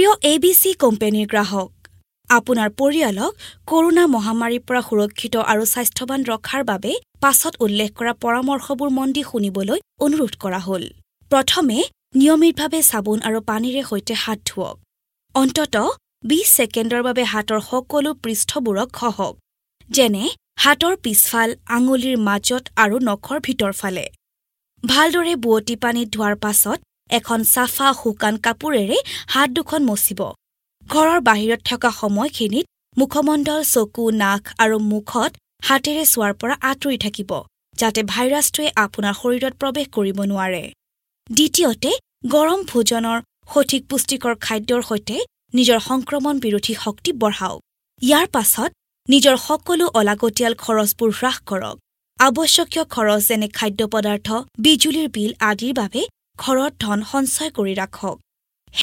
প্ৰিয় এবিচি কোম্পানীৰ গ্ৰাহক, আপোনাৰ পৰিয়ালক কৰোনা মহামাৰীৰ পৰা সুৰক্ষিত আৰু স্বাস্থ্যৱান ৰখাৰ বাবে পাছত উল্লেখ কৰা পৰামৰ্শবোৰ মন দি শুনিবলৈ অনুৰোধ কৰা হ'ল। প্ৰথমে নিয়মিতভাৱে চাবোন আৰু পানীৰে সৈতে হাত ধোৱক। অন্ততঃ 20 ছেকেণ্ডৰ বাবে হাতৰ সকলো পৃষ্ঠবোৰক ঘঁহক, যেনে হাতৰ পিছফাল, আঙুলিৰ মাজত আৰু নখৰ ভিতৰফালে। ভালদৰে বোৱতী পানীত ধোৱাৰ পাছত এখন চাফা শুকান কাপোৰেৰে হাত দুখন মচিব। ঘৰৰ বাহিৰত থকা সময়খিনিত মুখমণ্ডল, চকু, নাক আৰু মুখত হাতেৰে চোৱাৰ পৰা আঁতৰি থাকিব, যাতে ভাইৰাছটোৱে আপোনাৰ শৰীৰত প্ৰৱেশ কৰিব নোৱাৰে। দ্বিতীয়তে, গৰম ভোজনৰ সঠিক পুষ্টিকৰ খাদ্যৰ সৈতে নিজৰ সংক্ৰমণ বিৰোধী শক্তি বঢ়াওক। ইয়াৰ পাছত নিজৰ সকলো অলাগতিয়াল খৰচবোৰ হ্ৰাস কৰক। আৱশ্যকীয় খৰচ যেনে খাদ্য পদাৰ্থ, বিজুলীৰ বিল আদিৰ বাবে ঘৰত ধন সঞ্চয় কৰি ৰাখক।